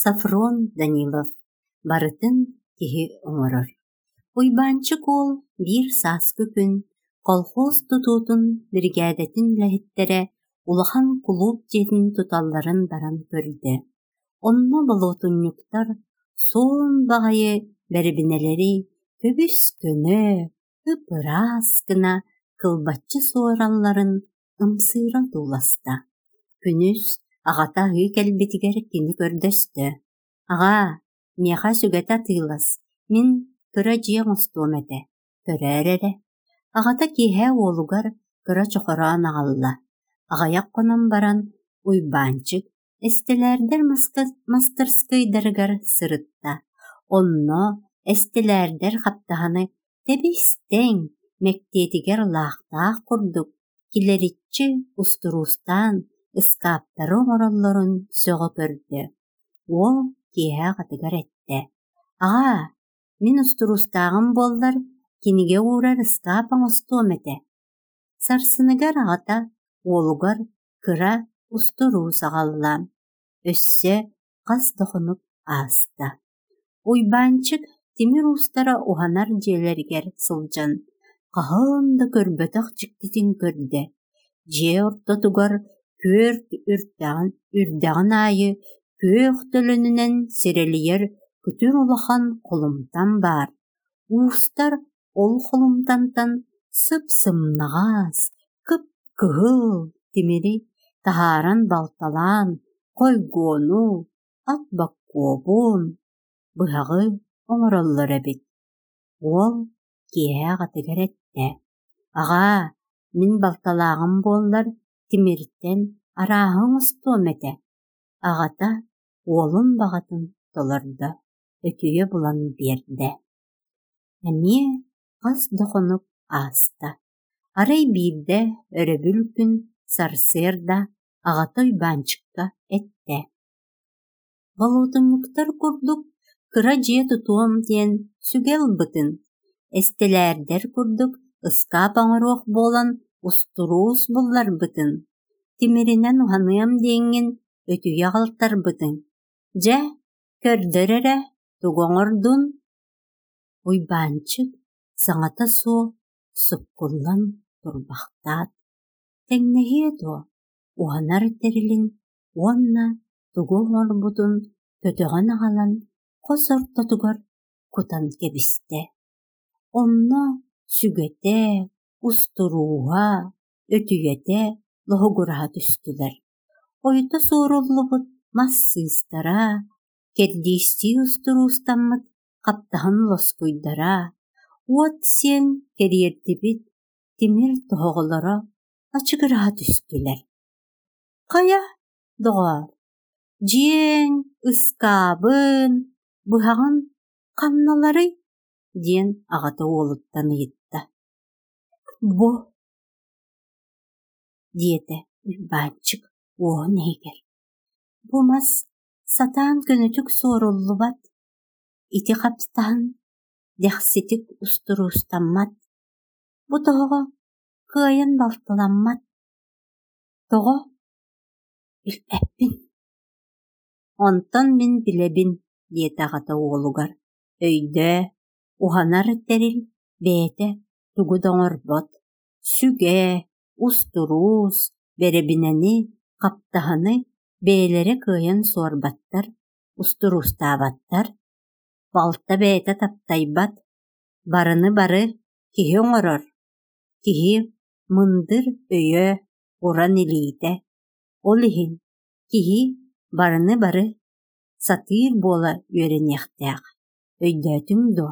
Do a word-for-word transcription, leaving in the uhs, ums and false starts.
Софрон Данилов барытын киһи оҥорор. Уйбаанчык уол биир сааскы күн колхоз тутуутун биригээдэтин үлэһиттэрэ улахан кулууп дьиэтин туталларын баран көрдө. Онно болуотунньуктар суон баҕайы бэрэбинэлэри көбүс-көнө, ып-ыраас гына кылбаччы суоралларын ымсыыра тууласта. Күнүс аҕата аһыы кэлбитигэр кини көрдөстө: «Аҕаа, миэхэ сүгэтэ атыылас, мин кыра дьиэ оҥостуом этэ, көрөөр эрэ». Аҕата киэһэ уолугар кыра чохороон аҕалла. Аҕыйах хонон баран Уйбаанчык эстэлээрдэр мастарыскыайдарыгар сырытта. Онно эстэлээрдэр хаптаһыны тэбис-тэҥ, мэктиэтигэр лаахтаах курдук килэриччи устуруустаан ыскааптары оҥороллорун сөҕө көрдө. Уол киэһэ аҕатыгар эттэ: «Аҕаа, мин устуруустааҕым буоллар, кинигэ уурар ыскаап оҥостуом этэ». Сарсыныгар аҕата уолугар кыра устуруус аҕалла. Өссө хас да хонук ааста. Уйбаанчык тимир уустара уһанар дьиэлэригэр сылдьан, хаһан да көрбөтөх дьиктитин көрдө. Дьиэ ортотугар күөрт үрдэҕин, үрдэҕин аайы күөх төлөнүнэн сирэлийэр күтүр улахан холумтан баар. Уустар ол холумтантан сып-сымнаҕас, кып-кыһыл тимири таһааран балталаан хойгуону, ат боккуобун, быһаҕы оҥороллор эбит. Уол киэһэ аҕатыгар эттэ: «Аҕаа, мин балталааҕым буоллар, тимиртэн арааһы оҥостуом этэ». Аҕата уолун баҕатын толордо, өтүйэ булан биэрдэ. Эмиэ хас да хонук ааста. Арай биирдэ өрөбүл күн сарсыарда аҕата Уйбаанчыкка эттэ: «Болуотунньуктар курдук кыра дьиэ тутуом диэн сүгэ ылбытын, эстэлээрдэр курдук ыскаап оҥоруох буолан устуруус булларбытын, тимиринэн уһаныам диэҥҥин өтүйэ аҕалтарбытыҥ. Дьэ, көрдөр эрэ, тугу оҥордун?» Уйбаанчык саҥата суох суккуллан турбахтаат, тэҥнэһиэ дуо, уһанар тэрилин уонна тугу оҥорбутун көтөҕөн аҕалан хос ортотугар кутан кэбистэ. Онно сүгэтэ, устурууһа, өтүйэтэ лоһугураһа түстүлэр. Ойута суоруллубут мас сыыстара, кэрдиистии устуруустаммыт хаптаһын лоскуйдара, уот сиэн кэриэрдибит тимир тоһоҕолоро ачыгыраһа түстүлэр. «Хайа, доҕоор, дьиэҥ, ыскаабын, быһаҕын ханналарый?» диэн аҕата уолуттан ыйытта. «Бу» диэтэ Уйбаанчык уоһун иһигэр. «Бу мас сатаан көнөтүк суоруллубат, ити хаптаһын дэхситик устуруустаммат, бу тоһоҕо кыайан балтыламмат. Тоҕо? Билбэппин». «Онтон мин билэбин» диэтэ аҕата уолугар. «Өйдөө, уһанар тэрил бэйэтэ тугу да оҥорбот. Сүгэ, устуруус, бэрэбинэни, хаптаһыны бэйэлэрэ кыайан суорбаттар, устуруустаабаттар. Балта бэйэтэ таптайбат, барыны бары киһи оҥорор. Киһи мындыр өйө, уран илиитэ. Ол иһин киһи барыны бары сатыыр буола үөрэниэхтээх. Өйдөөтүҥ дуо?»